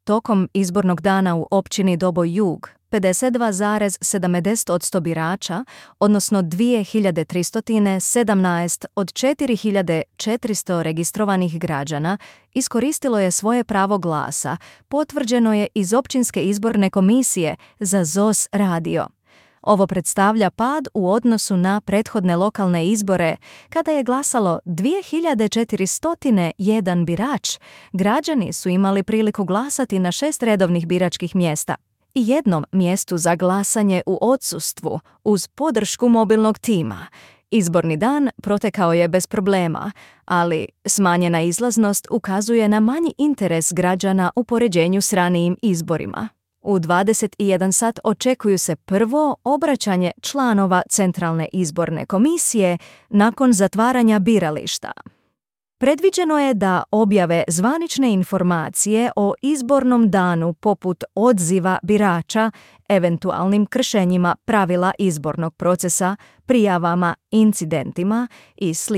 tokom izbornog dana u općini Doboj Jug 52,70% birača, odnosno 2317 od 4400 registrovanih građana, iskoristilo je svoje pravo glasa, potvrđeno je iz Općinske izborne komisije za ZOS radio. Ovo predstavlja pad u odnosu na prethodne lokalne izbore, kada je glasalo 2401 birač. Građani su imali priliku glasati na 6 redovnih biračkih mjesta i jednom mjestu za glasanje u odsustvu uz podršku mobilnog tima. Izborni dan protekao je bez problema, ali smanjena izlaznost ukazuje na manji interes građana u poređenju s ranijim izborima. U 21 sat očekuju se prvo obraćanje članova Centralne izborne komisije nakon zatvaranja birališta. Predviđeno je da objave zvanične informacije o izbornom danu poput odziva birača, eventualnim kršenjima pravila izbornog procesa, prijavama, incidentima i sl.